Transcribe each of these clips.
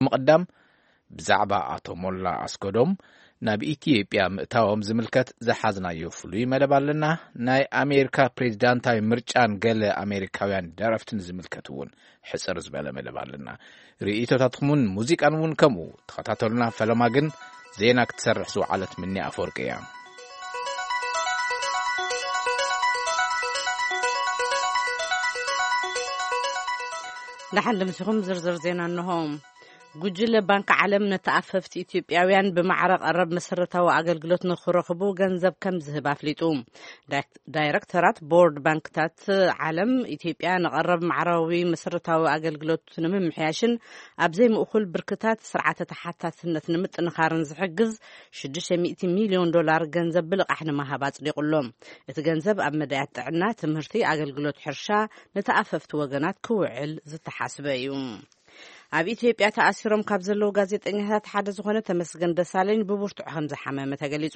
ምቕዳም፣ ብዛዕባ ኣቶ ሞላ ኣስገዶም ናብ ኢትዮጵያ ምእታዎም ዝምልከት ዝሓዝናዮ ፍሉይ መደብ ኣለና። ናይ ኣሜሪካ ፕሬዚዳንታዊ ምርጫን ገለ ኣሜሪካውያን ደረፍትን ዝምልከት እውን ሕጽር ዝበለ መደብ ኣለና። ርእይቶታትኩምን ሙዚቃን እውን ከምኡ። ተኸታተሉና። ፈለማ ግን ዜና ክትሰርሕ ዝወዓለት ምኒ ኣፈወርቂ እያ። ደሓን ድምሲኹም ዝርዝር ዜና እንሆ። ጉጅለ ባንክ ዓለም ነተኣፈፍቲ ኢትዮጵያውያን ብማዕረ ቀረብ መሰረታዊ ኣገልግሎት ንክረኽቡ ገንዘብ ከም ዝህብ ኣፍሊጡ። ዳይክ-፣ ዳይረክተራት ቦርድ ባንክታት ዓለም ኢትዮጵያ ንቐረብ ማዕራዊ መሰረታዊ ኣገልግሎት ንምምሕያሽን ኣብ ዘይምእኩል ብርክታት ስርዓተ ተሓታትነት ንምጥንኻርን ዝሕግዝ ሽዱሽተ ሚእቲ ሚልዮን ዶላር ገንዘብ ብልቓሕ ንምሃብ ኣጽዲቑ ኣሎ። እቲ ገንዘብ ኣብ መዳያት ጥዕና፣ ትምህርቲ፣ ኣገልግሎት ሕርሻ፣ ንተኣፈፍቲ ወገናት ክውዕል ዝተሓስበ እዩ። ኣብ ኢትዮጵያ ተኣሲሮም ካብ ዘለዉ ጋዜጠኛታት ሓደ ዝኾነ ተመስገን ደሳለኝ ብብርቱዕ ከም ዝሓመመ ተገሊጹ።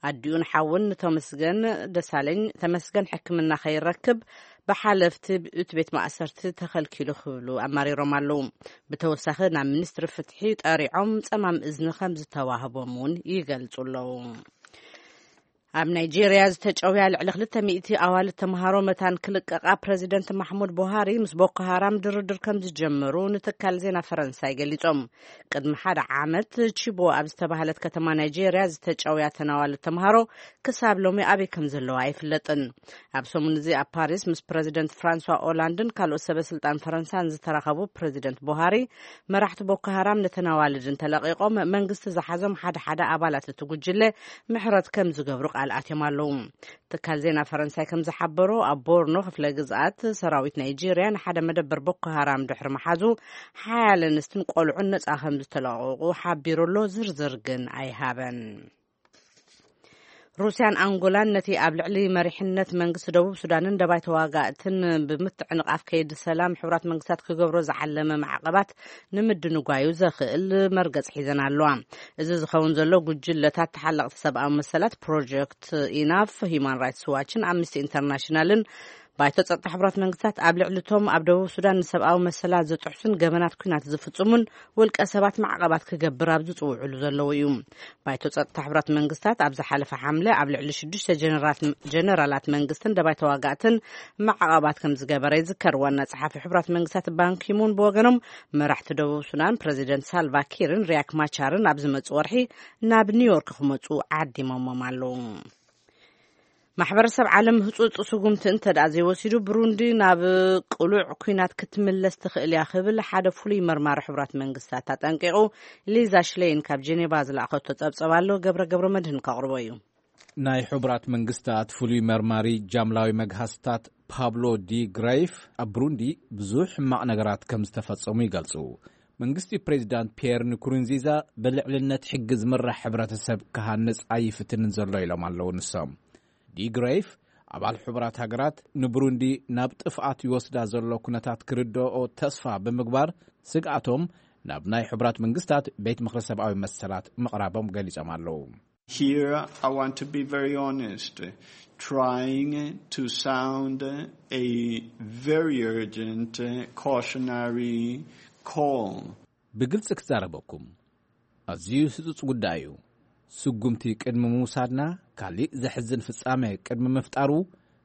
ኣዲኡን ሓውን ንተመስገን ደሳለኝ፣ ተመስገን ሕክምና ከይረክብ ብሓለፍቲ እቲ ቤት ማእሰርቲ ተኸልኪሉ ክብሉ ኣማሪሮም ኣለዉ። ብተወሳኺ ናብ ሚኒስትሪ ፍትሒ ጠሪዖም ጸማም እዝኒ ከም ዝተዋህቦም እውን ይገልጹ ኣለዉ። ኣብ ናይጄርያ ዝተጨውያ ልዕሊ ክልተ ሚእቲ ኣዋልድ ተምሃሮ መታን ክልቀቓ ፕረዚደንት ማሕሙድ ቡሃሪ ምስ ቦኮ ሃራም ድርድር ከም ዝጀመሩ ንትካል ዜና ፈረንሳይ ገሊጾም። ቅድሚ ሓደ ዓመት ቺቦ ኣብ ዝተባህለት ከተማ ናይጄርያ ዝተጨውያ ተን ኣዋልድ ተምሃሮ ክሳብ ሎሚ ኣበይ ከም ዘለዋ ኣይፍለጥን። ኣብ ሰሙን እዚ ኣብ ፓሪስ ምስ ፕረዚደንት ፍራንሷ ኦላንድን ካልኦት ሰበ ስልጣን ፈረንሳን ዝተራኸቡ ፕረዚደንት ቡሃሪ፣ መራሕቲ ቦኮ ሃራም ነተን ኣዋልድ እንተለቒቖም መንግስቲ ዝሓዞም ሓደ ሓደ ኣባላት እቲ ጉጅለ ምሕረት ከም ዝገብሩ ቃል ኣትዮም ኣለዉ። ትካል ዜና ፈረንሳይ ከም ዝሓበሮ፣ ኣብ ቦርኖ ክፍለ ግዝኣት ሰራዊት ናይጄርያ ንሓደ መደበር ቦኮ ሃራም ድሕሪ ምሓዙ፣ ሓያለ ኣንስትን ቆልዑን ነጻ ከም ዝተለቐቑ ሓቢሩ ኣሎ። ዝርዝር ግን ኣይሃበን። ሩስያን ኣንጎላን ነቲ ኣብ ልዕሊ መሪሕነት መንግስቲ ደቡብ ሱዳንን ደባይ ተዋጋእትን ብምትዕንቓፍ ከይዲ ሰላም ሕቡራት መንግስታት ክገብሮ ዝዓለመ ማዕቐባት ንምድንጓዩ ዘኽእል መርገጽ ሒዘን ኣለዋ። እዚ ዝኸውን ዘሎ፣ ጉጅለታት ተሓለቕቲ ሰብኣዊ መሰላት ፕሮጀክት ኢናፍ፣ ሂዩማን ራይትስ ዋችን ኣምነስቲ ኢንተርናሽናልን ባይቶ ጸጥታ ሕቡራት መንግስታት ኣብ ልዕሊ እቶም ኣብ ደቡብ ሱዳን ንሰብኣዊ መሰላት ዝጥሕሱን ገበናት ኲናት ዝፍጽሙን ውልቀ ሰባት ማዕቐባት ክገብር ኣብ ዝጽውዕሉ ዘለዉ እዩ። ባይቶ ጸጥታ ሕቡራት መንግስታት ኣብ ዝሓለፈ ሓምለ ኣብ ልዕሊ ሽዱሽተ ጀነራላት፣ ጀነራላት መንግስትን ደባይ ተዋጋእትን ማዕቐባት ከም ዝገበረ ይዝከር። ዋና ጸሓፊ ሕቡራት መንግስታት ባንኪሙን ብወገኖም፣ መራሕቲ ደቡብ ሱዳን ፕረዚደንት ሳልቫ ኪርን ሪያክ ማቻርን ኣብ ዝመጽእ ወርሒ ናብ ኒውዮርክ ክመጹ ዓዲሞሞም ኣለዉ። ማሕበረሰብ ዓለም ህጹጽ ስጉምቲ እንተ ደኣ ዘይወሲዱ፣ ብሩንዲ ናብ ቅሉዕ ኲናት ክትምለስ ትኽእል እያ ክብል ሓደ ፍሉይ መርማሪ ሕቡራት መንግስታት ኣጠንቂቑ። ሊዛ ሽሌይን ካብ ጄኔቫ ዝለኣኸቶ ጸብጸብ ኣሎ፣ ገብረ ገብረ መድህን ከቕርቦ እዩ። ናይ ሕቡራት መንግስታት ፍሉይ መርማሪ ጃምላዊ መግሃስታት ፓብሎ ዲ ግረይፍ፣ ኣብ ብሩንዲ ብዙሕ ሕማቕ ነገራት ከም ዝተፈጸሙ ይገልጹ። መንግስቲ ፕሬዚዳንት ፒየር ንኩሩንዚዛ ብልዕልነት ሕጊ ዝምራሕ ሕብረተሰብ ክሃንጽ ኣይፍትንን ዘሎ ኢሎም ኣለዉ ንሶም። ዲግሬፍ፣ ኣባል ሕቡራት ሃገራት ንብሩንዲ ናብ ጥፍኣት ይወስዳ ዘሎ ኩነታት ክርድኦ ተስፋ ብምግባር፣ ስግኣቶም ናብ ናይ ሕቡራት መንግስታት ቤት ምኽሪ ሰብኣዊ መሰላት ምቕራቦም ገሊጾም ኣለዉ። Here, I want to be very honest, trying to sound a very urgent cautionary call. ብግልጺ ክዛረበኩም፣ ኣዝዩ ህጹጽ ጉዳይ እዩ። ስጉምቲ ቅድሚ ምውሳድና፣ ካሊእ ዘሕዝን ፍጻመ ቅድሚ ምፍጣሩ፣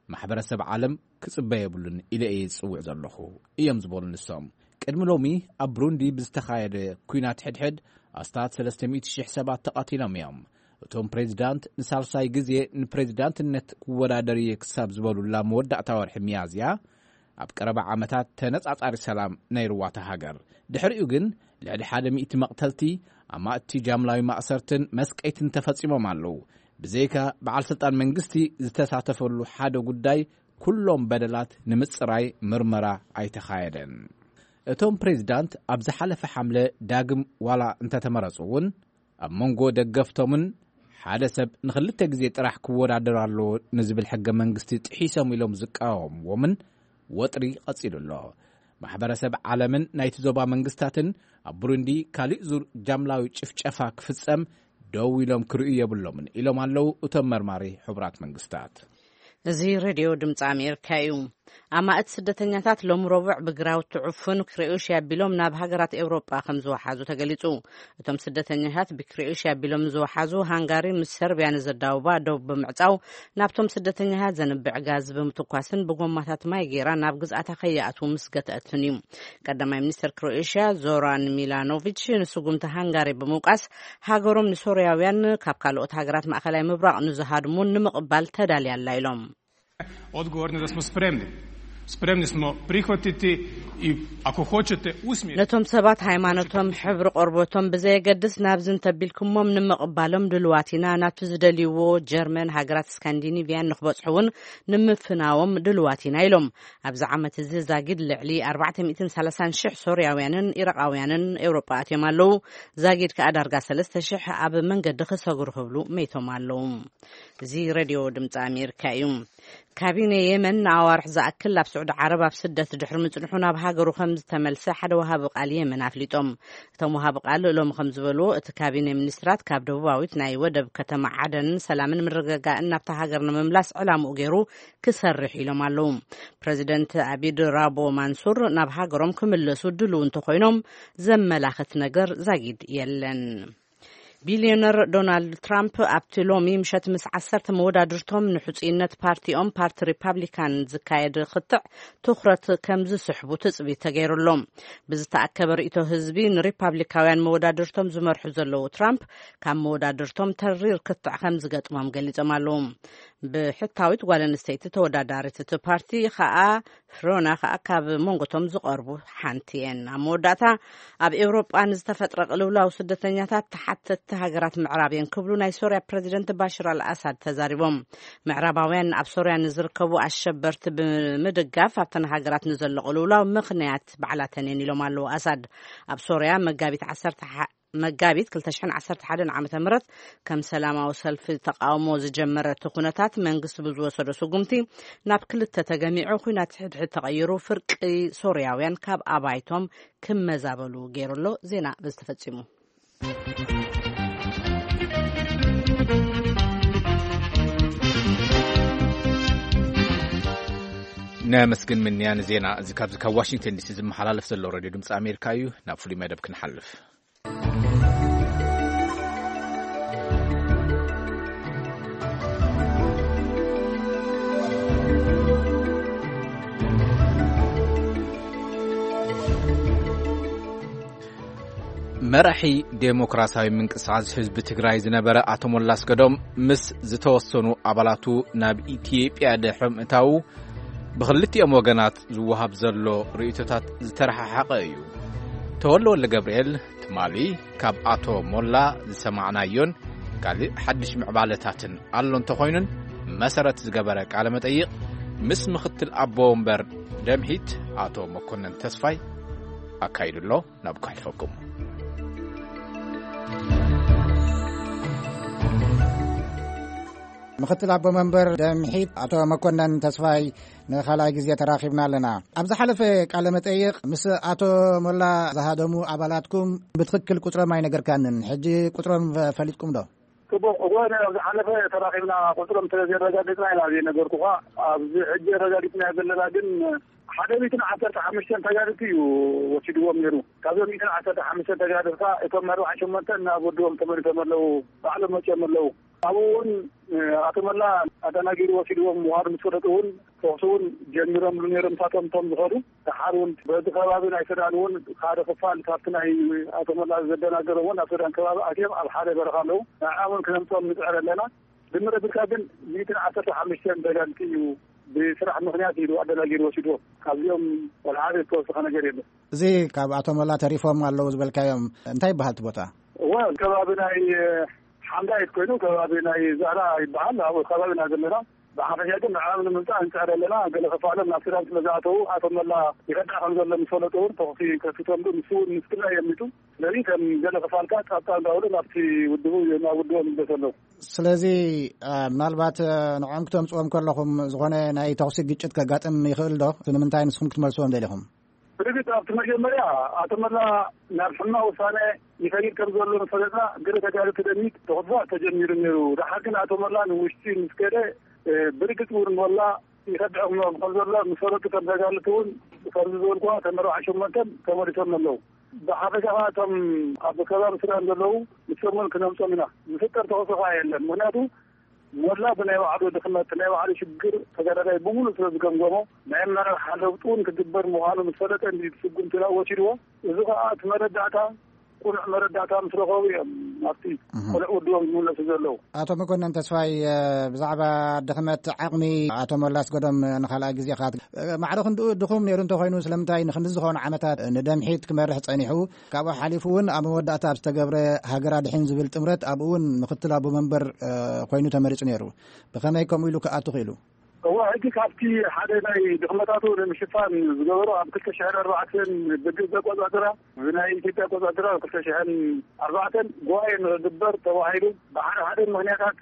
ማሕበረሰብ ዓለም ክጽበ የብሉን ኢለ እየ ዝጽውዕ ዘለኹ፣ እዮም ዝበሉ ንሶም። ቅድሚ ሎሚ ኣብ ብሩንዲ ብዝተኻየደ ኲናት ሕድሕድ ኣስታት ሰለስተ ሚእቲ ሽሕ ሰባት ተቐቲሎም እዮም። እቶም ፕሬዚዳንት ንሳልሳይ ግዜ ንፕሬዚዳንትነት ክወዳደር እየ ክሳብ ዝበሉላ መወዳእታ ወርሒ ሚያዝያ፣ ኣብ ቀረባ ዓመታት ተነጻጻሪ ሰላም ነይርዋ እታ ሃገር። ድሕሪኡ ግን ልዕሊ ሓደ ሚእቲ መቕተልቲ፣ ኣማእቲ ጃምላዊ ማእሰርትን መስቀይትን ተፈጺሞም ኣለዉ። ብዘይካ በዓል ስልጣን መንግስቲ ዝተሳተፈሉ ሓደ ጉዳይ፣ ኩሎም በደላት ንምጽራይ ምርመራ ኣይተኻየደን። እቶም ፕሬዚዳንት ኣብ ዝሓለፈ ሓምለ ዳግም ዋላ እንተተመረጹ እውን፣ ኣብ መንጎ ደገፍቶምን ሓደ ሰብ ንኽልተ ግዜ ጥራሕ ክወዳደር ኣለዎ ንዝብል ሕገ መንግስቲ ጥሒሶም ኢሎም ዝቃወምዎምን ወጥሪ ቀጺሉ ኣሎ። ማሕበረሰብ ዓለምን ናይቲ ዞባ መንግስታትን ኣብ ብሩንዲ ካሊእ ዙር ጃምላዊ ጭፍጨፋ ክፍጸም ደው ኢሎም ክርእዩ የብሎምን ኢሎም ኣለዉ እቶም መርማሪ ሕቡራት መንግስታት። እዚ ሬድዮ ድምፂ ኣሜሪካ እዩ። ኣማእት ስደተኛታት ሎም ረቡዕ ብግራውቲ ዕፉን ክሮኤሽያ ኣቢሎም ናብ ሃገራት ኤውሮጳ ከም ዝወሓዙ ተገሊጹ። እቶም ስደተኛታት ብክሮኤሽያ ኣቢሎም ዝወሓዙ፣ ሃንጋሪ ምስ ሰርቢያ ንዘዳውባ ዶብ ብምዕጻው፣ ናብቶም ስደተኛታት ዘንብዕ ጋዝ ብምትኳስን ብጎማታት ማይ ገይራ ናብ ግዝኣታ ከይኣትዉ ምስ ገትኣትን እዩ። ቀዳማይ ሚኒስተር ክሮኤሽያ ዞራን ሚላኖቪች ንስጉምቲ ሃንጋሪ ብምውቃስ፣ ሃገሮም ንሶርያውያን ካብ ካልኦት ሃገራት ማእከላይ ምብራቕ ንዝሃድሙን ንምቕባል ተዳልያ ኣላ ኢሎም። Odgovorni da smo spremni. Spremni smo prihvatiti i, ako hoćete, usmjeriti. ነቶም ሰባት ሃይማኖቶም፣ ሕብሪ ቆርበቶም ብዘየገድስ ናብዚ እንተቢልኩሞም ንምቕባሎም ድልዋት ኢና። ናብቲ ዝደልይዎ ጀርመን፣ ሃገራት ስካንዲኒቪያን ንክበጽሑ እውን ንምፍናዎም ድልዋት ኢና ኢሎም። ኣብዚ ዓመት እዚ ዛጊድ ልዕሊ ኣርባዕተ ሚእትን ሰላሳን ሽሕ ሶርያውያንን ኢራቓውያንን ኤውሮጳ ኣትዮም ኣለዉ። ዛጊድ ከኣ ዳርጋ ሰለስተ ሽሕ ኣብ መንገዲ ክሰግሩ ክብሉ መይቶም ኣለዉ። እዚ ሬድዮ ድምፂ ኣሜሪካ እዩ። ካቢነ የመን ንኣዋርሕ ዝኣክል ኣብ ስዑዲ ዓረብ ኣብ ስደት ድሕሪ ምጽንሑ ናብ ሃገሩ ከም ዝተመልሰ ሓደ ወሃቢ ቃል የመን ኣፍሊጦም። እቶም ወሃቢ ቃል ሎሚ ከም ዝበልዎ፣ እቲ ካቢነ ሚኒስትራት ካብ ደቡባዊት ናይ ወደብ ከተማ ዓደን ሰላምን ምርግጋእን ናብታ ሃገር ንምምላስ ዕላምኡ ገይሩ ክሰርሕ ኢሎም ኣለዉ። ፕረዚደንት ኣቢድ ራቦ ማንሱር ናብ ሃገሮም ክምለሱ ድልው እንተኾይኖም ዘመላኽት ነገር ዛጊድ የለን። ቢልዮነር ዶናልድ ትራምፕ ኣብቲ ሎሚ ምሸት ምስ ዓሰርተ መወዳድርቶም ንሕጹይነት ፓርቲኦም፣ ፓርቲ ሪፓብሊካን፣ ዝካየድ ክትዕ ትኹረት ከም ዝስሕቡ ትጽቢት ተገይሩሎም። ብዝተኣከበ ርእይቶ ህዝቢ ንሪፓብሊካውያን መወዳድርቶም ዝመርሑ ዘለዉ ትራምፕ ካብ መወዳድርቶም ተሪር ክትዕ ከም ዝገጥሞም ገሊጾም ኣለዉ። ብሕታዊት ጓል ኣንስተይቲ ተወዳዳሪት እቲ ፓርቲ ከኣ ፍሮና ከኣ ካብ መንጎቶም ዝቐርቡ ሓንቲ እየን። ኣብ መወዳእታ፣ ኣብ ኤውሮጳ ንዝተፈጥረ ቅልውላው ስደተኛታት ተሓተትቲ ሃገራት ምዕራብ እየን ክብሉ ናይ ሶርያ ፕረዚደንት ባሽር ኣልኣሳድ ተዛሪቦም። ምዕራባውያን ኣብ ሶርያ ንዝርከቡ ኣሸበርቲ ብምድጋፍ ኣብተን ሃገራት ንዘሎ ቅልውላው ምኽንያት ባዕላተን እየን ኢሎም ኣለዉ ኣሳድ። ኣብ ሶርያ መጋቢት ዓሰርተ መጋቢት ክልተ ሽሕን ዓሰርተ ሓደን ዓመተ ምህረት ከም ሰላማዊ ሰልፊ ተቃውሞ ዝጀመረ እቲ ኩነታት፣ መንግስቲ ብዝወሰዶ ስጉምቲ ናብ ክልተ ተገሚዑ፣ ኩናት ሕድሕድ ተቐይሩ፣ ፍርቂ ሶርያውያን ካብ ኣባይቶም ክመዛበሉ ገይሩ ኣሎ። ዜና በዚ ተፈጺሙ። ነመስግን ምንያ ንዜና እዚ ካብዚ ካብ ዋሽንግተን ዲሲ ዝመሓላለፍ ዘሎ ሬድዮ ድምፂ ኣሜሪካ እዩ። ናብ ፍሉይ መደብ ክንሓልፍ። መራሒ ዴሞክራሲያዊ ምንቅስቃስ ህዝቢ ትግራይ ዝነበረ ኣቶ ሞላ ኣስገዶም ምስ ዝተወሰኑ ኣባላቱ ናብ ኢትዮጵያ ድሕሪ ምእታዉ ብኽልቲኦም ወገናት ዝወሃብ ዘሎ ርእይቶታት ዝተረሓሓቐ እዩ። ተወልደ ወልደ ገብርኤል ትማሊ ካብ ኣቶ ሞላ ዝሰማዕናዮን ካልእ ሓድሽ ምዕባለታትን ኣሎ እንተኾይኑን መሰረት ዝገበረ ቃለ መጠይቕ ምስ ምኽትል ኣቦ ወንበር ደምሒት ኣቶ መኮነን ተስፋይ ኣካይዱ ኣሎ። ናብ ከሕልፈኩም። ምኽትል ኣቦ መንበር ደምሒት ኣቶ መኮነን ተስፋይ፣ ንኻልኣይ ግዜ ተራኺብና ኣለና። ኣብ ዝሓለፈ ቃለ መጠይቕ ምስ ኣቶ ሞላ ዝሃደሙ ኣባላትኩም ብትኽክል ቁጽሮም ኣይነገርካንን። ሕጂ ቁጽሮም ፈሊጥኩም ዶ? ጽቡቕ። እወ፣ ኣብ ዝሓለፈ ተራኺብና ቁጽሮም ስለ ዘረጋገጽና ኢና ዘይነገርኩኻ። ኣብዚ ሕጂ ኣረጋጊጽና ዘለና ግን ሓደ ሚእትን ዓሰርተ ሓሙሽተን ተጋደልቲ እዩ ወሲድዎም ነይሩ። ካብዞም ሚእትን ዓሰርተ ሓሙሽተን ተጋደልቲ እቶም ኣርባዓን ሸሞንተን ናብ ወድቦም ተመሊሶም ኣለዉ። ባዕሎም መጺኦም ኣለዉ። ኣብኡ እውን፣ እ፣ ኣቶ መላ ኣደናጊሩ ወሲድዎም ምዃኑ ምስ ፈለጡ እውን ተኹሲ እውን ጀሚሮምሉ ነይሮም። ንሳቶም እቶም ዝኸዱ ደሓር እውን በዚ ከባቢ ናይ ሱዳን እውን ሓደ ክፋል ካብቲ ናይ ኣቶ መላ ዘደናገሮም እውን ኣብ ሱዳን ከባቢ ኣትዮም ኣብ ሓደ በረኻ ኣለዉ። ንዕኦም እውን ክነምፅኦም ንፅዕር ኣለና። ድምር ኣቢልካ ግን ሚእትን ዓሰርተ ሓሙሽተን ተጋደልቲ እዩ ብስራሕ ምኽንያት ኢሉ ኣደናጊሩ ወሲድዎም። ካብዚኦም ወላ ሓደ ዝተወሰኸ ነገር የለን። እዚ ካብ ኣቶ መላ ተሪፎም ኣለዉ ዝበልካዮም እንታይ ይበሃል እቲ ቦታ? እወ፣ ከባቢ ናይ ሓምዳይት ኮይኑ ከባቢ ናይ ዛራ ይበሃል። ኣብኡ ከባቢ ኢና ዘለና። ብሓፈሻ ግን ንዕኦም ንምምፃእ ንፅዕር ኣለና። ገለ ክፋሎም ናብ ሱዳን ስለ ዝኣተዉ ኣቶ መላ ይኸዳዕ ከም ዘሎ ምስ ፈለጡ እውን ተኹሲ ከፊቶምሉ። ንሱ እውን ምስ ክልኣይ ኣሚቱ። ስለዚ ከም ገለ ክፋልካ ጻብጻብ እንዳበሉ ናብቲ ውድቡ ናብ ውድቦም ይምለሱ ኣለዉ። ስለዚ አ፣ ምናልባት አ፣ ንዕኦም ክተምፅዎም ከለኹም ዝኾነ ናይ ተኹሲ ግጭት ከጋጥም ይኽእል ዶ? እቲ ንምንታይ ንስኹም ክትመልስዎም ደሊኹም? ብርግጽ ኣብቲ መጀመርያ ኣቶ መላ ናብ ሕማቕ ውሳነ ይኸይድ ከም ዘሎ ምስ ፈለጥና፣ ገለ ተጋደልቲ ደሚት ተኹስባት ተጀሚሩ ነይሩ። ደሓር ግን ኣቶ መላ ንውሽጢ ምስ ከደ፣ እ፣ ብርግጽ እውን መላ ይኸድዖም ከም ዘሎ ምስ ፈለጡ፣ ከም ተጋልቲ እውን ከምዚ ዝበልኩዋ፣ ከም ኣርባዓ ሸሞንተን ተመሊሶም ኣለዉ። ብሓፈሻ ከኣ እቶም ኣብ ከባቢ ሱዳን ዘለዉ፣ ንሶም እውን ክነምጾም ኢና። ዝፍጠር ተኸሶ ከኣ የለን። ምኽንያቱ ሞላ ብናይ ባዕሉ ድኽመት፣ ናይ ባዕሉ ሽግር ተጋዳላይ ብምሉእ ስለ ዝገምገሞ፣ ናይ ኣመራርሓ ለውጢ እውን ክግበር ምዃኑ ምስ ፈለጠ፣ እንዲ ስጉምቲ ናብ ወሲድዎ። እዚ ከኣ እቲ መረዳእታ፣ ቁኑዕ መረዳእታ ምስ ረኸቡ እዮም ኣብቲ እህ። ቆልዕ ውድቦም ዝምለሱ ዘለዉ። ኣቶ መኮነን ተስፋይ፣ እ፣ ብዛዕባ ድኽመት ዓቕሚ ኣቶ ሞላ ኣስገዶም ንኻልኣይ ግዜ ኻት-፣ እ፣ ማዕረ ክንድኡ ድኹም ነይሩ እንተኾይኑ፣ ስለምንታይ ንክንዲ ዝኾኑ ዓመታት ንደምሒት ክመርሕ ጸኒሑ፣ ካብኡ ሓሊፉ እውን ኣብ መወዳእታ ኣብ ዝተገብረ ሃገር ኣድሕን ዝብል ጥምረት ኣብኡ እውን ምክትል ኣቦ መንበር፣ እ፣ ኮይኑ ተመሪጹ ነይሩ። ብኸመይ ከምኡ ኢሉ ክኣቱ ክኢሉ? እወ፣ ሕጂ ካብቲ ሓደ ናይ ድኽመታቱ ንምሽፋን ዝገበሮ፣ ኣብ ክልተ ሽሕን ኣርባዕተን ብግብፂ ኣቆፃፅራ፣ ብናይ ኢትዮጵያ ኣቆፃፅራ ኣብ ክልተ ሽሕን ኣርባዕተን ጉባኤ ንክግበር ተባሂሉ ብሓደ ሓደ ምኽንያታት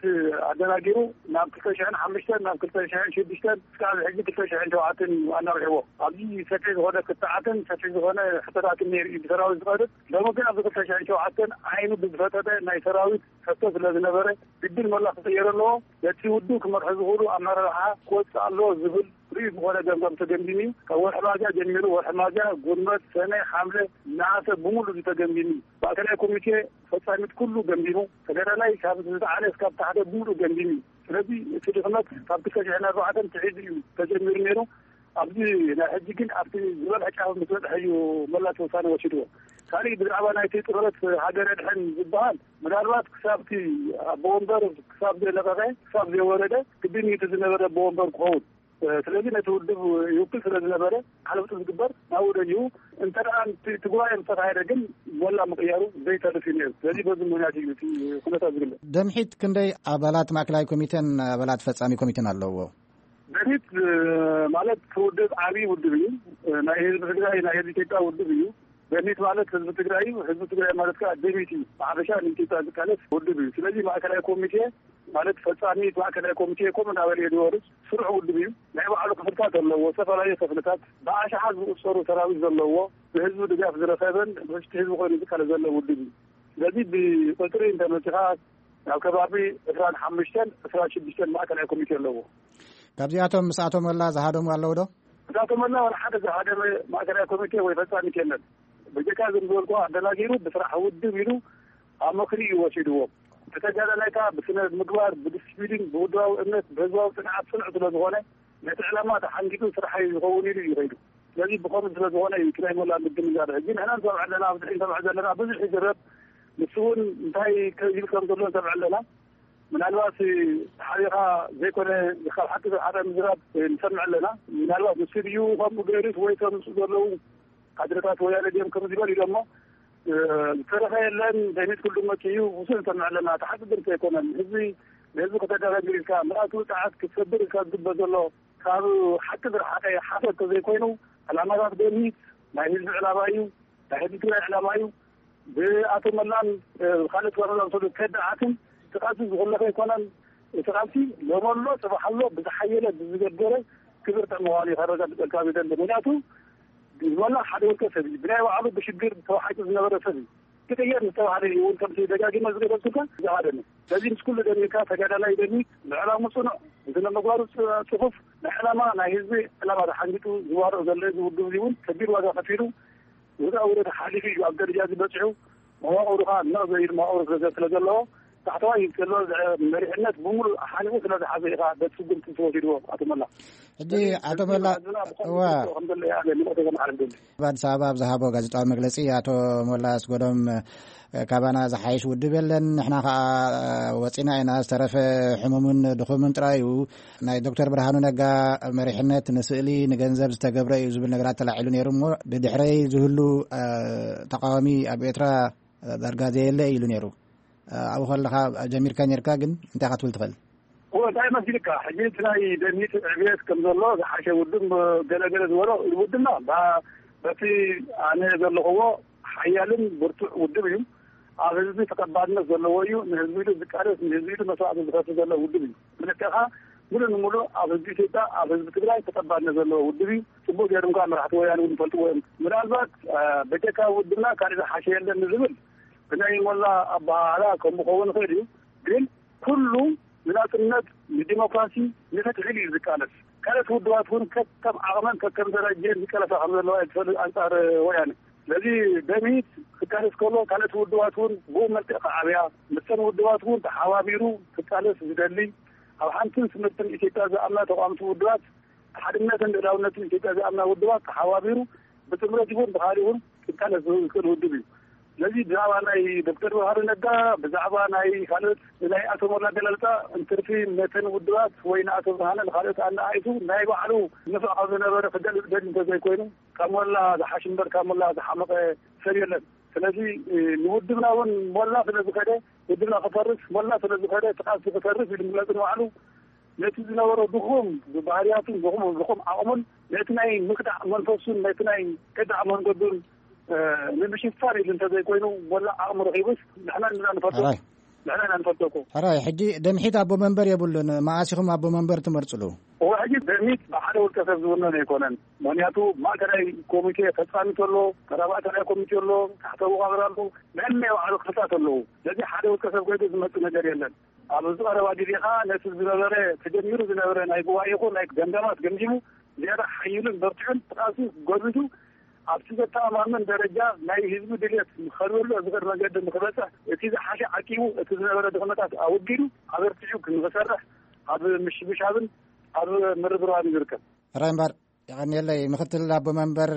ኣደናጊሩ ናብ ክልተ ሽሕን ሓሙሽተን፣ ናብ ክልተ ሽሕን ሽዱሽተን፣ እስካብ ሕጂ ክልተ ሽሕን ሸውዓተን ኣናውሕዎ። ኣብዚ ሰፊሕ ዝኾነ ክትዓትን ሰፊሕ ዝኾነ ሕቶታትን ነይሩ እዩ ብሰራዊት ዝቐርብ። ሎሚ ግን ኣብዚ ክልተ ሽሕን ሸውዓተን ዓይኑ ብዝፈጠጠ ናይ ሰራዊት ሕቶ ስለ ዝነበረ፣ ግድን መላ ክቕየር ኣለዎ። ነቲ ውድብ ክመርሑ ዝኽእሉ ኣመራርሓ ክወፅእ ኣለዎ ዝብል ርኡይ ዝኾነ ገምጋም ተገምጊሙ እዩ። ካብ ወርሒ ሚያዝያ ጀሚሩ፣ ወርሒ ሚያዝያ፣ ጉንበት፣ ሰነ፣ ሓምለ፣ ነሓሰ ብምሉእ እዩ ተገምጊሙ እዩ። ማእከላይ ኮሚቴ ፈጻሚት ኩሉ ገምጊሙ፣ ተጋዳላይ ካብ ዝለዓለ እስካብ ታሕተ ብምሉእ ገምጊሙ እዩ። ስለዚ እቲ ድኽመት ካብ ክልተ ሽሕን ኣርባዕተን ትሒዙ እዩ ተጀሚሩ ነይሩ። ኣብዚ ናይ ሕጂ ግን ኣብቲ ዝበልሐ ጫፍ ምስ በጽሐ እዩ መላ እቲ ውሳነ ወሲድዎ። ካሊእ ብዛዕባ ናይቲ ጥምረት ሃገር ኣድሕን ዝበሃል፣ ምናልባት ክሳብ እቲ ኣቦ ወንበር ክሳብ ዘይለቐቐ፣ ክሳብ ዘይወረደ፣ ግድን እዩ እቲ ዝነበረ ኣቦ ወንበር ክኸውን። ስለዚ ነቲ ውድብ ይውክል ስለ ዝነበረ፣ ሓለፍቱ ዝግበር ናብኡ ደሊዩ፣ እንተ ደኣ እቲ እቲ ጉባኤ ምስ ተኻየደ ግን መላ ምቕያሩ ዘይተርፍ እዩ ነይሩ። ስለዚ በዚ ምኽንያት እዩ እቲ ኩነታት ዝግለጽ። ደምሒት ክንደይ ኣባላት ማእከላይ ኮሚቴን ኣባላት ፈጻሚ ኮሚቴን ኣለዎ? ደምሒት፣ እ፣ ማለት እቲ ውድብ ዓብዪ ውድብ እዩ። እ፣ ናይ ህዝቢ ትግራይ፣ ናይ ህዝቢ ኢትዮጵያ ውድብ እዩ። ደምሒት ማለት ህዝቢ ትግራይ እዩ። ህዝቢ ትግራይ ማለት ከዓ ደምሒት እዩ። ብሓፈሻ ንኢትዮጵያ ዝቃለስ ውድብ እዩ። ስለዚ ማእከላይ ኮሚቴ ማለት ፈጻሚ ማእከላይ ኮሚቴ ከምኡ እናበለ እዩ ዝወርድ። ስሩዕ ውድብ እዩ። ናይ ባዕሉ ክፍልታት ኣለዎ፣ ዝተፈላለዩ ክፍልታት፣ ብኣሽሓት ዝቑጸሩ ሰራዊት ዘለዎ፣ ብህዝቢ ድጋፍ ዝረኸበን ብውሽጢ ህዝቢ ኮይኑ ዝቃለስ ዘሎ ውድብ እዩ። ስለዚ ብቁጽሪ እንተመጺኻ፣ ናብ ከባቢ ዕስራን ሓሙሽተን፣ ዕስራን ሽዱሽተን ማእከላይ ኮሚቴ ኣለዎ። ካብዚኣቶም ምስ ኣቶ ሞላ ዝሃደሙ ኣለዉ ዶ? ምስ ኣቶ ሞላ ዋላ ሓደ ዝሃደመ ማእከላይ ኮሚቴ ወይ ፈጻሚት የለን። ብጀካ ዝም ዝበልኩ ኣደናጊሩ ብስራሕ ውድብ ኢሉ ኣብ ምኽሪ እዩ ወሲድዎ። እቲ ተጋዳላይ ከኣ ብስነ ምግባር፣ ብዲስፕሊን፣ ብውድባዊ እምነት፣ ብህዝባዊ ጽንዓት ጽኑዕ ስለ ዝኾነ፣ ነቲ ዕላማ ተሓንጊጡ ስራሐይ ዝኸውን ኢሉ እዩ ከይዱ። ስለዚ ብኸምኡ ስለ ዝኾነ እዩ እቲ ናይ ሞላ ምድንጋር። ሕጂ ንሕና ንሰምዕ ኣለና፣ ኣብዚ ንሰምዕ ዘለና ብዙሕ ይዝረብ። ንሱ እውን እንታይ ይብል ከም ዘሎ ንሰምዕ ኣለና። ምናልባት ሓቢኻ ዘይኮነ ካብ ሓቂ ዝረሓቐ ምዝራብ ንሰምዕ ኣለና። ምናልባት ንሱ ድዩ ከምኡ ገይሩስ ወይ ከም ንሱ ዘለዉ ካድረታት ወያነ ድዮም ከምኡ ዝበል ኢሎሞ፣ እ፣ ዝተረፈ የለን። ደሚት ኩሉ መጽኡ እዩ። ብዙሕ ንሰምዕ ኣለና። እቲ ሓቂ ግን ዘይኮነን። ህዝቢ ንህዝቢ ከተደናግር ኢልካ፣ ምልኣት ውጽዓት ክትሰብር ኢልካ ዝግበር ዘሎ ካብ ሓቂ ዝረሓቐ ሓሶት ተዘይኮይኑ፣ ዕላማታት ደሚት ናይ ህዝቢ ዕላማ እዩ። ናይ ህዝቢ ትግራይ ዕላማ እዩ። ብኣቶ መላን፣ እ፣ ካልኦት ጋር ዝኣመሰሉ ከዳዓትን እቲ ቃልሲ ዝኹለፈ ኣይኮነን። እቲ ቃልሲ ሎሚ ኣሎ፣ ጽባሕ ኣሎ፣ ብዝሓየለ ብዝገደረ ክብርትዕ ምዃኑ እዩ ከረጋግጸልካ ዝደሊ። ምኽንያቱ መላ ሓደ ውልቀ ሰብ እዩ። ብናይ ባዕሉ ብሽግር ተዋሒጡ ዝነበረ ሰብ እዩ። ክቅየር ዝተባህለ እዩ እውን ከምቲ ደጋጊመ ዝገለጽኩልካ ዝሃደመ። ስለዚ ምስ ኩሉ ደሚርካ ተጋዳላይ ደሚት፣ ብዕላሙ ጽኑዕ፣ ብስነ ምግባሩ ጽ-፣ ጽፉፍ፣ ናይ ዕላማ ናይ ህዝቢ ዕላማ ተሓንጊጡ ዝዋርቕ ዘሎ እዚ ውድብ እዚ እውን ከቢድ ዋጋ ከፊሉ ውጣ ውረድ ሓሊፉ እዩ ኣብ ደረጃ እዚ በፂሑ። መዋቕሩ ከዓ ነቕ ዘይብል መዋቕሩ ስለ ስለ ዘለዎ፣ ታሕተዋይ ዘሎ መሪሕነት ብምሉእ ሓኒቑ ስለ ዝሓዘ እዩ ከዓ በቲ ስጉምቲ ዝተወሲድዎ ኣቶ መላ። ሕጂ ኣቶ መላ፣ ብኸምዚ እዋ። ከም ዘሎ እየ ኣነ መልእኽተይ ከመሓላልፍ ደሊ። ኣብ ኣዲስ ኣበባ ኣብ ዝሃቦ ጋዜጣዊ መግለጺ ኣቶ ሞላ ኣስገዶም፣ ካባና ዝሓይሽ ውድብ የለን፣ ንሕና ከዓ ወጺና ኢና፣ ዝተረፈ ሕሙምን ድኹምን ጥራይ እዩ። ናይ ዶክተር ብርሃኑ ነጋ መሪሕነት ንስእሊ፣ ንገንዘብ ዝተገብረ እዩ ዝብል ነገራት ተላዒሉ ነይሩ እሞ፣ ብድሕረይ ዝህሉ፣ እ፣ ተቃዋሚ ኣብ ኤርትራ ዳርጋ ዘየለ ኢሉ ነይሩ። እ፣ ኣብኡ ከለኻ ጀሚርካ ነይርካ፣ ግን እንታይ ኢኻ ትብል ትኽእል? እወ፣ እንታይ መሲልካ? ሕጂ እቲ ናይ ደምሂት ዕብየት ከም ዘሎ ዝሓሸ ውድብ ገለገለ ዝበሎ ውድብና፣ ባ-፣ በቲ ኣነ ዘለኽዎ ሓያልን ብርቱዕ ውድብ እዩ። ኣብ ህዝቢ ተቐባልነት ዘለዎ እዩ። ንህዝቢ ኢሉ ዝቃለስ፣ ንህዝቢ ኢሉ መስዋዕቲ ዝኸፍል ዘሎ ውድብ እዩ። ብልክዕኻ፣ ምሉእ ንምሉእ ኣብ ህዝቢ ኢትዮጵያ፣ ኣብ ህዝቢ ትግራይ ተቐባልነት ዘለዎ ውድብ እዩ። ጽቡቕ ገይሮም ከዓ መራሕቲ ወያነ እውን ይፈልጥዎ እዮም። ምናልባት፣ አ፣ በጀካ ውድብና ካልእ ዝሓሸ የለን ንዝብል ብናይ ሞላ ኣበሃህላ ከምኡ ክኸውን ይኽእል እዩ። ግን ኩሉ ንናጽነት፣ ንዲሞክራሲ፣ ንፍትሒ እዩ ዝቃለስ። ካልኦት ውድባት እውን ከከም ዓቕመን ከከም ደረጀን ዝቀለሳ ከም ዘለዋ እዩ ዝፈልጥ ኣንጻር ወያነ። ስለዚ ደምሂት ክቃለስ ከሎ ካልኦት ውድባት እውን ብኡ መልክዕ ክዓብያ፣ ምስተን ውድባት እውን ተሓባቢሩ ክቃለስ ዝደሊ፣ ኣብ ሓንትን ስምርትን ኢትዮጵያ ዝኣምና ተቋምቲ ውድባት፣ ሓድነትን ልእላውነትን ኢትዮጵያ ዝኣምና ውድባት ተሓባቢሩ ብጥምረት ይኹን ብኻልእ እውን ክቃለስ ዝኽእል ውድብ እዩ። ስለዚ ብዛዕባ ናይ ዶክተር ብርሃኑ ነጋ፣ ብዛዕባ ናይ ካልኦት ናይ ኣቶ ሞላ ኣገላልጻ እንትርፊ፣ ነተን ውድባት ወይ ንኣቶ ብርሃነ ንኻልኦት ኣነኣኢሱ ናይ ባዕሉ ንፍዕ ካብ ዝነበረ ክገልጽ ደሊ እንተዘይኮይኑ፣ ካብ ሞላ ዝሓሽ እምበር ካብ ሞላ ዝሓመቐ ሰብ የለን። ስለዚ ንውድብና እውን ሞላ ስለ ዝኸደ፣ ውድብና ክፈርስ፣ ሞላ ስለ ዝኸደ፣ እቲ ቃልሲ ክተርፍ ኢሉ ምግላጽ ንባዕሉ ነቲ ዝነበሮ ድኹም ባህርያቱን ድኹም ድኹም ዓቕሙን ነቲ ናይ ምክዳዕ መንፈሱን ነቲ ናይ ከዳዕ መንገዱን ንምሽፋን ኢሉ እንተዘይኮይኑ፣ ሞላ ዓቕሚ ረኺቡስ ንሕና ንና ንፈልጦ። ሕራይ። ንሕና ኢና ንፈልጦ እኮ። ሕራይ፣ ሕጂ ደምሒት ኣቦ መንበር የብሉን። መዓስ ኢኹም ኣቦ መንበር ትመርጽሉ? እወ፣ ሕጂ ደምሒት ብሓደ ውልቀ ሰብ ዝውነን ኣይኮነን። ምኽንያቱ ማእከላይ ኮሚቴ ፈጻሚ ተሎ፣ ተባባዕተላይ ኮሚቴ ኣሎ፣ ታሕተ መዋቕር ኣሎ፣ ነናይ ባዕሉ ክፍልታት ኣለዉ። ስለዚ ሓደ ውልቀ ሰብ ኮይኑ ዝመጽእ ነገር የለን። ኣብ ዝቐረባ ግዜ ኸዓ ነቲ ዝነበረ፣ ተጀሚሩ ዝነበረ ናይ ጉባኤ ይኹን ናይ ገምጋማት ገምጊሙ፣ ዝያዳ ሓይሉን በርቲዑን ብቃልሲ ጎልቢቱ ኣብቲ ዘተኣማምን ደረጃ ናይ ህዝቢ ድልየት ንኸልበሎ ዝኽእል መገዲ ንክበጽሕ፣ እቲ ዝሓሸ ዓቂቡ፣ እቲ ዝነበረ ድኽመታት ኣወጊዱ ኣበርቲዑ ንክሰርሕ ኣብ ምሽብሻብን ኣብ ምርብራብን ይርከብ። ሕራይ እምበር፣ የቐንየለይ። ምክትል ኣቦ መንበር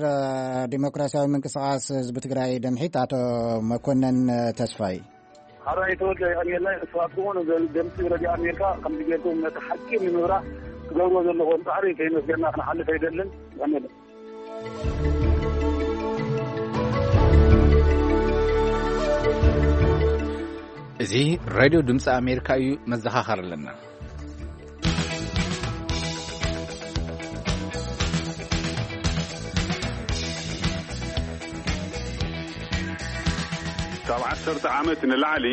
ዲሞክራሲያዊ ምንቅስቃስ ህዝቢ ትግራይ ደምሒት ኣቶ መኮነን ተስፋይ። ሕራይ ተወልደ፣ የቐንየለይ። ንስኻትኩም እውን ድምፂ ረድዮ ኣሜሪካ ከምዚ ጌርኩም ነቲ ሓቂ ንምብራህ ትገብርዎ ዘለኹም ፃዕሪ ከይመስገና ክንሓልፍ ኣይደልን። የቐንየለይ። እዚ ሬድዮ ድምፂ ኣሜሪካ እዩ። መዘኻኸር ኣለና። ካብ ዓሰርተ ዓመት ንላዕሊ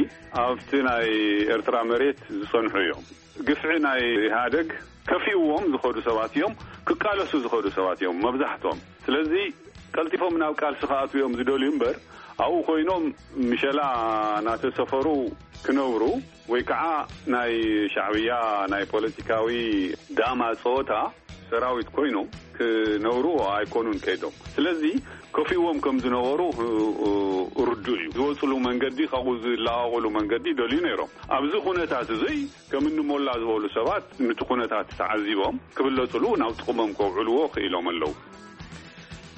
ኣብቲ ናይ ኤርትራ መሬት ዝጸንሑ እዮም። ግፍዒ ናይ ኢህኣደግ ከፊእዎም ዝኸዱ ሰባት እዮም፣ ክቃለሱ ዝኸዱ ሰባት እዮም መብዛሕትኦም። ስለዚ ቀልጢፎም ናብ ቃልሲ ክኣትዉ እዮም ዝደልዩ እምበር፣ ኣብኡ ኮይኖም ምሸላ እናተሰፈሩ ክነብሩ ወይ ከዓ ናይ ሻዕብያ ናይ ፖለቲካዊ ዳማ ጸወታ ሰራዊት ኮይኖም ክነብሩ ኣይኮኑን ከይዶም። ስለዚ ከፊእዎም ከም ዝነበሩ ርዱእ እዩ። ዝወፅሉ መንገዲ፣ ካብኡ ዝለቃቕሉ መንገዲ ይደልዩ ነይሮም። ኣብዚ ኩነታት እዙይ ከም እኒ ሞላ ዝበሉ ሰባት ነቲ ኩነታት ተዓዚቦም ክብለፅሉ ናብ ጥቕሞም ከውዕልዎ ክኢሎም ኣለዉ።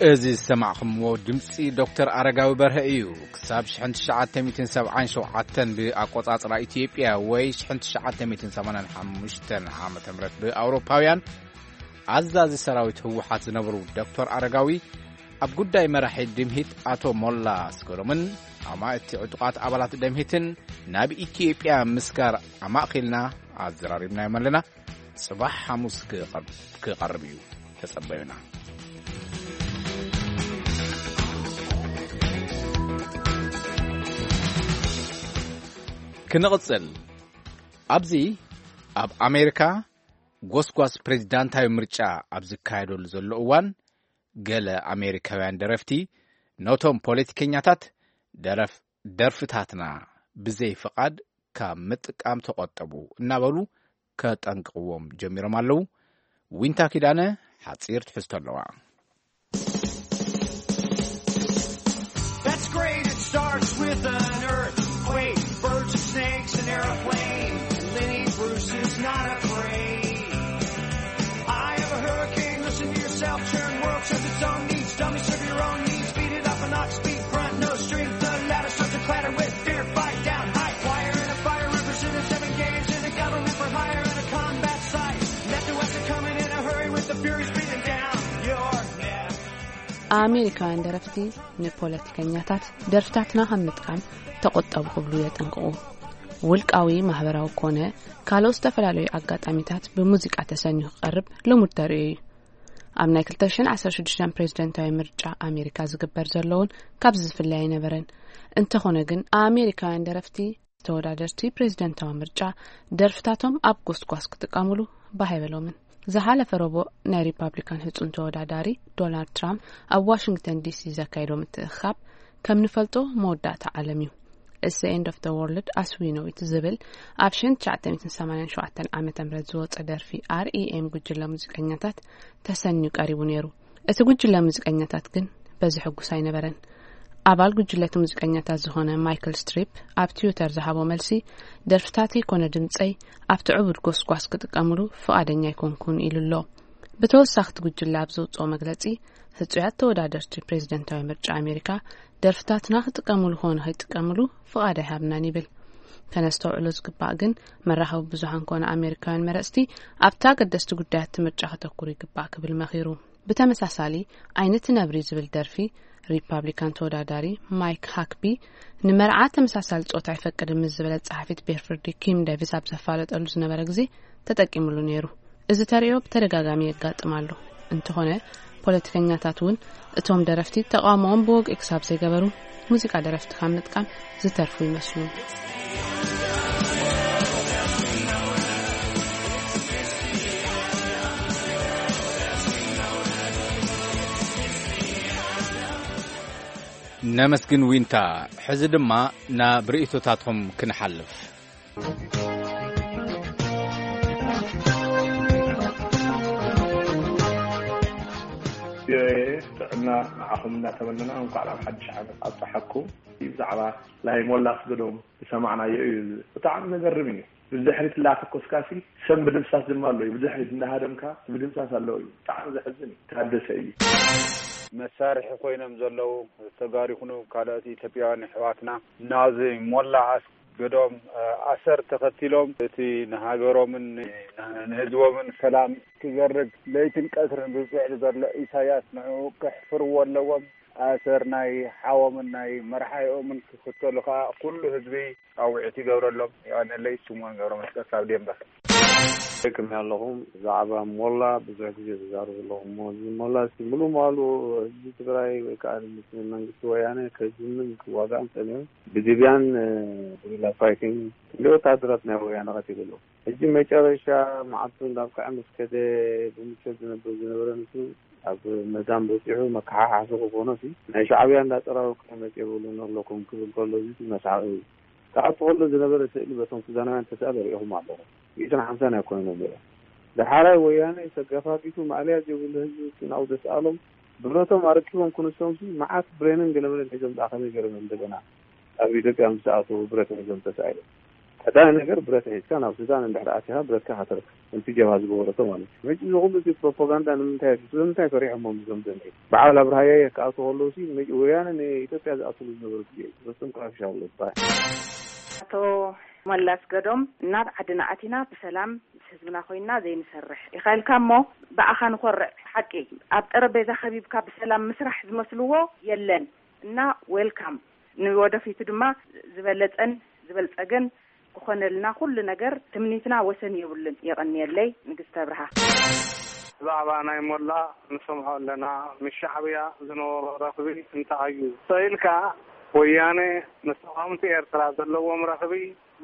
እዚ ዝሰማዕኹምዎ ድምፂ ዶክተር ኣረጋዊ በርሀ እዩ። ክሳብ ሽሕን ትሽዓተ ሚእትን ሰብዓን ሸውዓተን ብኣቆፃፅራ ኢትዮጵያ ወይ ሽሕን ትሽዓተ ሚእትን ሰማንያን ሓሙሽተን ዓመተ ምህረት ብኣውሮፓውያን ኣዛዚ ሰራዊት ህወሓት ዝነበሩ ዶክተር ኣረጋዊ ኣብ ጉዳይ መራሒ ድምሂት ኣቶ ሞላ ኣስገዶምን ኣማእቲ ዕጡቓት ኣባላት ደምሂትን ናብ ኢትዮጵያ ምስጋር ኣማእኺልና ኣዘራሪብናዮም ኣለና። ጽባሕ ሓሙስ ክቐርብ፣ ክቐርብ እዩ። ተጸበዩና። ክንቕጽል። ኣብዚ ኣብ ኣሜሪካ ጎስጓስ ፕሬዚዳንታዊ ምርጫ ኣብ ዝካየደሉ ዘሎ እዋን፣ ገለ ኣሜሪካውያን ደረፍቲ ነቶም ፖለቲከኛታት ደረፍ-፣ ደርፍታትና ብዘይ ፍቓድ ካብ ምጥቃም ተቖጠቡ እናበሉ ከጠንቅቕዎም ጀሚሮም ኣለዉ። ዊንታ ኪዳነ ሓጺር ትሕዝቶ ኣለዋ። That's great. It starts with an earthquake, birds and snakes, an airplane. Lenny Bruce is not afraid. I have a hurricane. Listen to yourself. Turn world serves its own needs. Dummy serve your own needs. Beat it up an ox beat grunt. No strength. The ladder starts to clatter with fear. Fight down high. Fire in a fire. Representing seven games in a government for hire and a combat site. Left to west are coming in a hurry with the furies breathing down your neck. ኣሜሪካውያን ደረፍቲ ንፖለቲከኛታት ደርፍታትና ካብ ምጥቃም ተቆጠቡ ክብሉ የጠንቅቑ። ውልቃዊ፣ ማህበራዊ ኮነ ካልኦት ዝተፈላለዩ ኣጋጣሚታት ብሙዚቃ ተሰንዩ ክቐርብ ልሙድ ተርእዮ እዩ። ኣብ ናይ ክልተ ሽሕን ዓሰርተ ሽዱሽተን ፕሬዝደንታዊ ምርጫ ኣሜሪካ ዝግበር ዘሎ እውን ካብዚ ዝፍለ ኣይነበረን። እንተኾነ ግን ኣሜሪካውያን ደረፍቲ ተወዳደርቲ ፕሬዝደንታዊ ምርጫ ደርፍታቶም ኣብ ጎስጓስ ክጥቀሙሉ ባህ ኣይበሎምን። ዝሓለፈ ረቡዕ ናይ ሪፓብሊካን ህጹን ተወዳዳሪ ዶናልድ ትራምፕ ኣብ ዋሽንግተን ዲሲ ዘካየዶ ምትእኽኻብ ከም ንፈልጦ መወዳእታ ዓለም እዩ። It's the End of the World as We Know It ዝብል ኣብ ሸን ትሽዓተ ሚእትን ሰማንያን ሸውዓተን ዓመተ ምህረት ዝወጸ ደርፊ ኣር ኢ ኤም ጉጅለ ሙዚቀኛታት ተሰንዩ ቀሪቡ ነይሩ። እቲ ጉጅለ ሙዚቀኛታት ግን በዚ ሕጉስ ኣይነበረን። ኣባል ጉጅለቲ ሙዚቀኛታት ዝኾነ ማይክል ስትሪፕ ኣብ ትዊተር ዝሃቦ መልሲ፣ ደርፍታተይ ኮነ ድምጸይ ኣብቲ ዕቡድ ጎስጓስ ክጥቀምሉ ፍቓደኛ ኣይኮንኩን ኢሉ ኣሎ። ብተወሳኺ እቲ ጉጅለ ኣብ ዘውጽኦ መግለጺ፣ ህጹያት ተወዳደርቲ ፕሬዝደንታዊ ምርጫ ኣሜሪካ ደርፍታትና ክጥቀምሉ ኾነ ከይጥቀምሉ ፍቓድ ኣይሃብናን ይብል። ከነስተውዕሎ ዝግባእ ግን፣ መራኸቢ ብዙሃን ኮነ ኣሜሪካውያን መረጽቲ ኣብቲ ኣገደስቲ ጉዳያት እቲ ምርጫ ከተኩሩ ይግባእ ክብል መኺሩ። ብተመሳሳሊ፣ ዓይነቲ ነብሪ ዝብል ደርፊ ሪፓብሊካን ተወዳዳሪ ማይክ ሃክቢ ንመርዓ ተመሳሳሊ ጾታ ኣይፈቅድን ምስ ዝበለት ጸሓፊት ቤርፍርዲ ኪም ዴቪስ ኣብ ዘፋለጠሉ ዝነበረ ግዜ ተጠቂምሉ ነይሩ። እዚ ተርእዮ ብተደጋጋሚ የጋጥም ኣሎ። እንተኾነ፣ ፖለቲከኛታት እውን እቶም ደረፍቲ ተቓውሞኦም ብወግዒ ክሳብ ዘይገበሩ፣ ሙዚቃ ደረፍቲ ካብ ምጥቃም ዝተርፉ ይመስሉ። ነመስግን ዊንታ። ሕዚ ድማ ናብ ርእይቶታትኩም ክንሓልፍ። ቪኦኤ ጥዕና ንዓኹም እናተመነና፣ እንኳዕ ናብ ሓድሽ ዓመት ኣብፀሓኩም። ብዛዕባ ናይ ሞላ ኣስገዶም ዝሰማዕናዮ እዩ። ብጣዕሚ ዘገርም እዩ። ብድሕሪት እንዳተኮስካሲ ሰብ ምድምሳስ ድማ ኣሎ እዩ። ብድሕሪት እንዳሃደምካ ምድምሳስ ኣለዎ እዩ። ብጣዕሚ ዘሕዝን እዩ። ታደሰ እዩ። መሳርሒ ኮይኖም ዘለዉ ተጋሩ ይኹኑ ካልኦት ኢትዮጵያውያን ኣሕዋትና ናዚ ሞላ ኣስገዶም ኣሰር ተኸቲሎም እቲ ንሃገሮምን ንህዝቦምን ሰላም ክዘርግ ለይትን ቀትርን ዝፅዕር ዘሎ ኢሳያስ ንዕኡ ከሕፍርዎ ኣለዎም። ኣሰር ናይ ሓዎምን ናይ መርሓይኦምን ክኽተሉ ከዓ ኩሉ ህዝቢ ፃውዒት ይገብረሎም። የቐነለይ። ስምኦን ገብረ መስቀል ካብ ዴንቨር። ከመይ ኣለኹም? ብዛዕባ ሞላ ብዙሕ ግዜ ተዛረቡ ኣለኹም እሞ፣ እዚ ሞላ እስቲ ሙሉ ማሉ ህዝቢ ትግራይ ወይ ከዓ ምስ መንግስቲ ወያነ ከጅምን ክዋጋእን ጸኒሑ፣ ብድብያን፣ እ፣ ጉሪላ ፋይቲንግ ክንደይ ወታደራት ናይ ወያነ ቀቲሉ ኣሎ። ሕጂ መጨረሻ መዓልቱ እንዳብቅዐ ምስ ከደ ብምቾት ዝነብር ዝነበረ ንሱ ኣብ መዳም በፂሑ መከሓሓሲ ክኾኖ ሲ ናይ ሻዕብያ እንዳፀራረብኩም መፂ የብሉን ኣለኩም ክብል ከሎ እዚ መስሓቂ እዩ። ክኣቱ ከሎ ዝነበረ ስእሊ በቶም ሱዳናውያን ተስኣለ ርኢኹም ኣለኹም። ሚእትን ሓምሳን ኣይኮይኖም እዮም። ዳሓራይ ወያነ ተገፋፊቱ ማእለያ ዘይብሉ ህዝቢ ናብኡ ዘስኣሎም ብረቶም ኣረኪቦም ክንሶም ሲ መዓት ብሬንን ገለመለን ሒዞም ደኣ ከመይ ገይሮም እዮም እንደገና ኣብ ኢትዮጵያ ምስ ኣተዉ ብረት ሒዞም ተሳኢሎም? ቀዳማይ ነገር ብረት ሒዝካ ናብ ሱዳን እንድሕር ኣቲኻ ብረትካ ከተርክብ፣ ከምቲ ጀብሃ ዝገበረቶ ማለት እዩ። መጪ እዚ ኩሉ እቲ ፕሮፓጋንዳ ንምንታይ እዩ? ስለምንታይ ፈሪሖሞም እዞም ዘንጊ? በዓል ኣብርሃ ያየ ክኣትዉ ከለዉ ሲ መጪ ወያነ ንኢትዮጵያ ዝኣትሉ ዝነበሩ ግዜ እዩ። በስም ክረብሻ ኣሎ ዝበሃል። ኣቶ መላስ ገዶም፣ ናብ ዓድና ኣቲና ብሰላም ምስ ህዝብና ኮይንና ዘይንሰርሕ ኢኻ ኢልካ እሞ ብኣኻ ንኾርዕ። ሓቂ፣ ኣብ ጠረጴዛ ከቢብካ ብሰላም ምስራሕ ዝመስልዎ የለን። እና ዌልካም። ንወደፊቱ ድማ ዝበለጸን ዝበልጸገን ክኾነልና ኩሉ ነገር ትምኒትና ወሰን የብሉን። የቐንየለይ። ንግስቲ ኣብርሃ። ብዛዕባ ናይ ሞላ ንሰምዖ ኣለና። ምስ ሻዕብያ ዝነበሮ ረኽቢ እንታይ እዩ? ስቕ ኢልካ ወያነ ምስ ተቓወምቲ ኤርትራ ዘለዎም ረኽቢ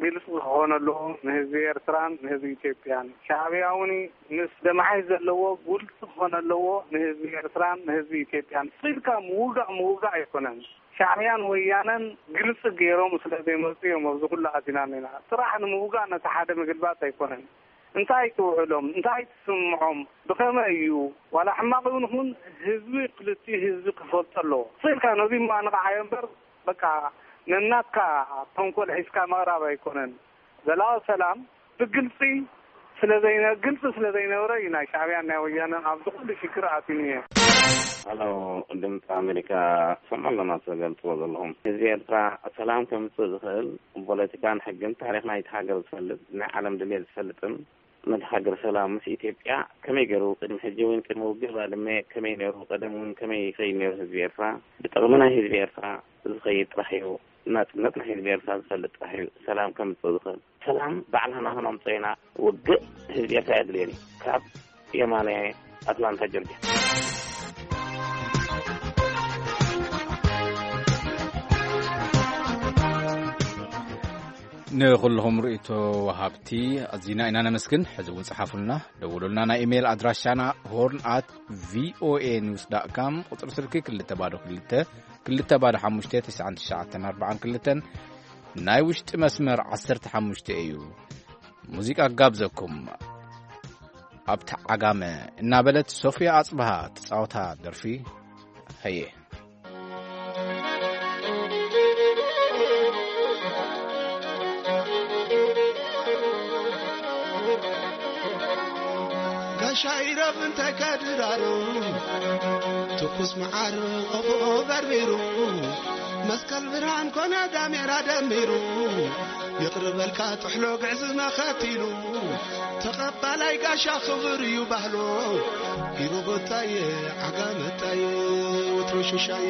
ግልፂ ክኾን ኣለዎ ንህዝቢ ኤርትራን ንህዝቢ ኢትዮጵያን። ሻዕብያ እውን ምስ ደማሓይ ዘለዎ ግልፂ ክኾን ኣለዎ ንህዝቢ ኤርትራን ንህዝቢ ኢትዮጵያን። ስቕ ኢልካ ምውጋእ ምውጋእ ኣይኮነን። ሻዕብያን ወያነን ግልፂ ገይሮም ስለ ዘይመፁ እዮም ኣብዚ ኩሉ ኣቲና እኒና። ስራሕ ንምውጋእ ነቲ ሓደ ምግልባጥ ኣይኮነን። እንታይ ትውዕሎም? እንታይ ትስምዖም? ብኸመይ እዩ? ዋላ ሕማቕ እውን ይኹን ህዝቢ ክልቲኡ ህዝቢ ክፈልጦ ኣለዎ። ስቕ ኢልካ ነዚ እሞ ኣንቕዓዮ እምበር በቃ ነናትካ ተንኮል ሒዝካ ምቕራብ ኣይኮነን። ዘላቒ ሰላም ብግልፂ ስለ ዘይነ-፣ ግልፂ ስለ ዘይነበረ እዩ ናይ ሻዕብያን ናይ ወያነን ኣብዚ ኩሉ ሽግር ኣትዩኒ። ሃሎ፣ ድምፂ ኣሜሪካ፣ ትሰምዑ ኣለና ትገልፅዎ ዘለኹም። ህዝቢ ኤርትራ ሰላም ከምፅእ ዝኽእል ብፖለቲካን ሕግን ታሪኽ ናይቲ ሃገር ዝፈልጥ፣ ናይ ዓለም ድሌት ዝፈልጥን ነቲ ሃገር ሰላም ምስ ኢትዮጵያ ከመይ ገይሩ ቅድሚ ሕጂ እውን ቅድሚ ውግእ ባድመ ከመይ ነይሩ፣ ቀደም እውን ከመይ ይኸይድ ነይሩ ህዝቢ ኤርትራ፣ ብጥቕሚ ናይ ህዝቢ ኤርትራ ዝኸይድ ጥራሕ እዩ። ናጽነት ናይ ህዝቢ ኤርትራ ዝፈልጥ ጥራሕ እዩ ሰላም ከምጽእ ዝኽእል። ሰላም ባዕልና ንኸነምጽኦ ኢና። ውግእ ህዝቢ ኤርትራ ኣየድልዮን እዩ። ካብ የማነ ኣትላንታ ጆርጅያ። ንኹልኹም ርእይቶ ወሃብቲ ኣዚና ኢና ነመስግን። ሕዚ እውን ጽሓፉልና፣ ደውሉልና። ናይ ኢሜይል ኣድራሻና ሆርን ኣት ቪኦኤ ኒውስ ዳት ካም፣ ቁጽሪ ስልኪ ክልተ ባዶ ክልተ፣ ክልተ ባዶ ሓሙሽተ፣ ትስዓን ትሽዓተን ኣርባዓን ክልተን። ናይ ውሽጢ መስመር ዓሰርተ ሓሙሽተ እዩ። ሙዚቃ ጋብዘኩም። ኣብቲ ዓጋመ እናበለት ሶፍያ ኣጽብሃ ትጻወታ ደርፊ ሀየ። ጋሻ ኢረብ እንታይ ከድራሩ፣ ትኩስ መዓር ቆፎ በርቢሩ፣ መስቀል ብርሃን ኮነ ዳሜራ ደሚሩ፣ ይቕርበልካ ጥሕሎ ግዕዝመ ኸቲሉ፣ ተቐባላይ ጋሻ ክብር እዩ ባህሎ። ኢሮቦታየ፣ ዓጋመታየ፣ ወትሮ ሽሻየ።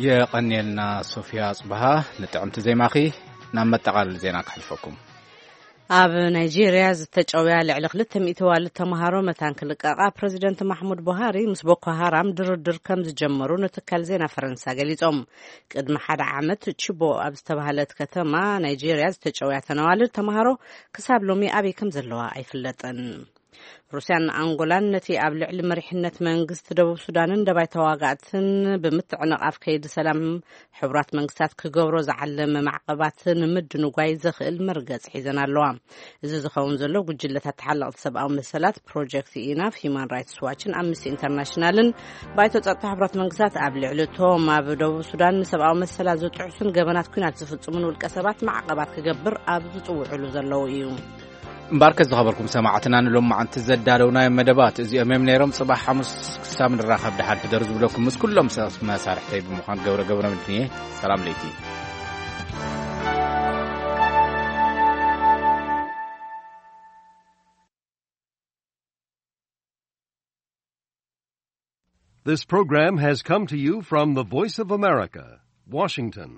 የቐንየልና ሶፊያ ኣጽብሃ ንጥዕምቲ ዜማኺ። ናብ መጠቓለሊ ዜና ክሕልፈኩም። ኣብ ናይጄርያ ዝተጨውያ ልዕሊ ክልተ ሚእቲ ዋልድ ተምሃሮ መታን ክልቀቓ ፕረዚደንት ማሕሙድ ቡሃሪ ምስ ቦኮ ሃራም ድርድር ከም ዝጀመሩ ንትካል ዜና ፈረንሳ ገሊጾም። ቅድሚ ሓደ ዓመት ቺቦ ኣብ ዝተባህለት ከተማ ናይጄርያ ዝተጨውያ ተነዋልድ ተምሃሮ ክሳብ ሎሚ ኣበይ ከም ዘለዋ ኣይፍለጥን። ሩስያን ኣንጎላን ነቲ ኣብ ልዕሊ መሪሕነት መንግስቲ ደቡብ ሱዳንን ደባይ ተዋጋእትን ብምትዕንቓፍ ከይዲ ሰላም ሕቡራት መንግስታት ክገብሮ ዝዓለመ ማዕቐባት ንምድንጓይ ዘኽእል መርገጽ ሒዘን ኣለዋ። እዚ ዝኸውን ዘሎ ጉጅለታት ተሓለቕቲ ሰብኣዊ መሰላት ፕሮጀክት ኢናፍ፣ ሂማን ራይትስ ዋችን ኣምነስቲ ኢንተርናሽናልን ባይቶ ጸጥታ ሕቡራት መንግስታት ኣብ ልዕሊ እቶም ኣብ ደቡብ ሱዳን ንሰብኣዊ መሰላት ዝጥሕሱን ገበናት ኲናት ዝፍጽሙን ውልቀ ሰባት ማዕቐባት ክገብር ኣብ ዝጽውዕሉ ዘለዉ እዩ። እምበኣርከ ዝኸበርኩም ሰማዕትና ንሎማዓንቲ ዘዳለውናዮም መደባት እዚኦም እዮም ነይሮም። ጽባሕ ሓሙስ ክሳብ ንራኸብ ደሓን ሕደሩ ዝብለኩም ምስ ኩሎም ሰብ መሳርሕተይ ብምዃን ገብረ ገብረ ምድንየ። ሰላም ለይቲ። This program has come to you from the Voice of America, Washington.